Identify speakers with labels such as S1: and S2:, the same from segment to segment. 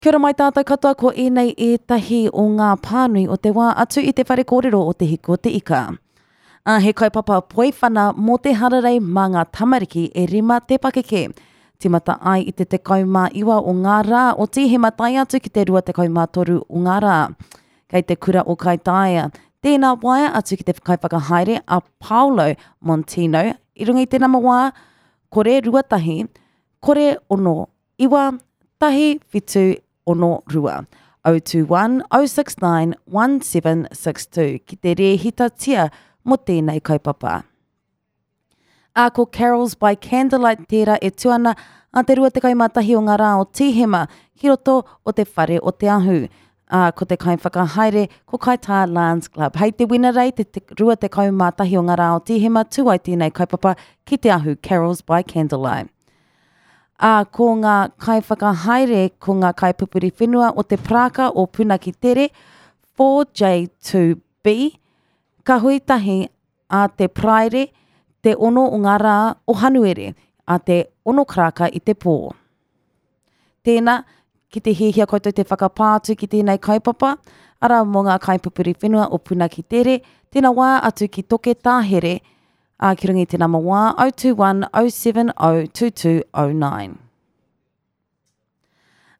S1: Kia ora mai tātou katoa ko ēnei ētahi o ngā pānui o te wā atu i te whare kōrero o Te Hiku o Te Ika. Ā, he kaupapa poiwhana mō te hararei mā ngā tamariki e rima te pakeke. Tīmata ai i te 19 o ngā rā o Tīhema tae atu ki te 23 o ngā rā. Kei te kura o Kaitaia, tēnā waea atu ki te kaiwhakahaere a Paolo Montino i runga i te nama wā, kore 21, kore ono 9, 1, 7, 6, 2. 021 069 1762 ki te rēhitatia mō tēnei kaupapa. Ā, ko Carols by Candlelight tērā e tū ana a te 21 o ngā rā o Tīhema ki roto o te Whare o Te Ahu. Ā, ko te kaiwhakahaere ko Kaitā Lions Club. Hei te Wenerei te 21 o ngā rā o Tīhema tū ai tēnei kaupapa ki Te Ahu, Carols by Candlelight. Ā, ko ngā kaiwhakahaere ko ngā kaipupuri whenua o te parāka o Punakitere, 4J2B, ka hui tahi ā te Paraire, te ono o ngā rā o Hanuere, ā te ono karaka i te pō. Tēnā, ki te hiahia koutou te whakapā atu ki tēnei kaupapa, arā mō ngā kaipupuri whenua o Punakitere, tēnā wā atu ki Toke Tāhere, Ā, ki runga i te nama wā, 021 070 2209.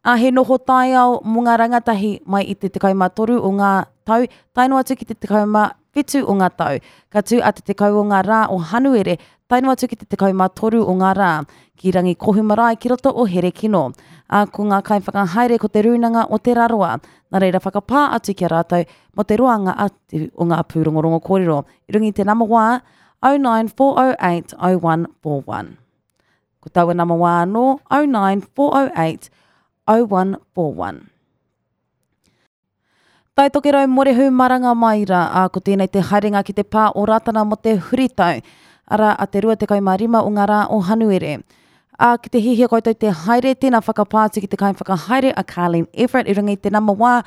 S1: Ā, he noho taiao mō ngā rangatahi mai i te 13 o ngā tau tae noa atu ki te 17 o ngā tau. Ka tū a te 10 o ngā rā o Hanuere tae noa atu ki te 13 o ngā rā, ki Rangikohu Marae ki roto o Herekino. Ā, ko ngā kaiwhakahaere ko Te Rūnanga o Te Rarawa. Nā reira whakapā atu ki a rātou mō te roanga atu o ngā pūrongorongo kōrero. I runga i te nama wā, 09408 0141. Ko taua nama wā anō, 09408 0141. Tai Tokerau Morehu Maranga mai rā, ā, ko tēnei te haerenga ki te pā o Rātana mō te huritau, arā, a te 25 o ngā rā o Hanuere. Ā, ki te hihia koutou te haere, tēnā whakapā atu ki te kaiwhakahaere a Carleen Everett i runga i te nama wā,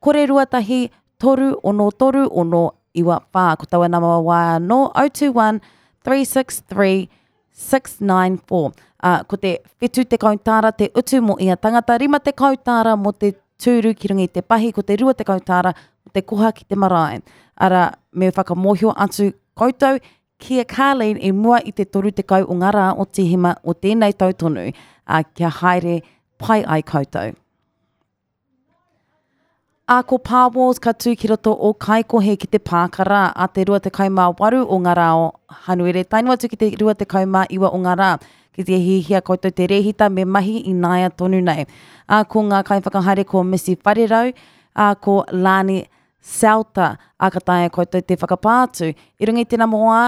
S1: kore 21 3 6 3 6 9 4. Ko taua nama wā anō, 021 363 694. Ā, ko te 70 tāra te utu mō ia tangata, 50 tāra mō te tūru ki runga i te pahi, ko te 20 tāra mō te koha ki te marae. Arā, me whakamōhio atu koutou ki a Carleen i mua i te 30 o ngā rā o Tīhema o tēnei tau tonu, ā, kia haere pai ai koutou. Ā, ko Pā Wars ka tū ki roto o Kaikohe ki te pāka rā a te 28 o ngā rā o Hanuere tae noa atu ki te 29 o ngā rā. Ki te hiahia koutou te rēhita me mahi i nāia tonu nei. Ā, ko ngā kaiwhakahaere ko Missy Wharerau, ā, ko Lani Selta, ā, ka taea koutou te whakapā atu i runga i te nama wā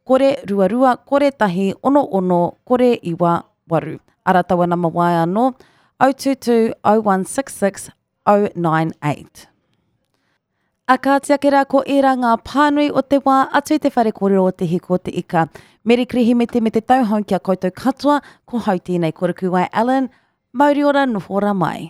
S1: kore ruarua, kore tahi, ono ono, kore iwa, waru. Ara taua nama waea anō, 022 0166 098. A kāti ake rā ko ērā ngā pānui o te wā atu i te whare kōrero o Te Hiku o Te Ika. Meri Kirihimete me te tauhou ki a koutou katoa, ko hau tēnei ko Rukuwai Allen, mauri ora noho ora mai.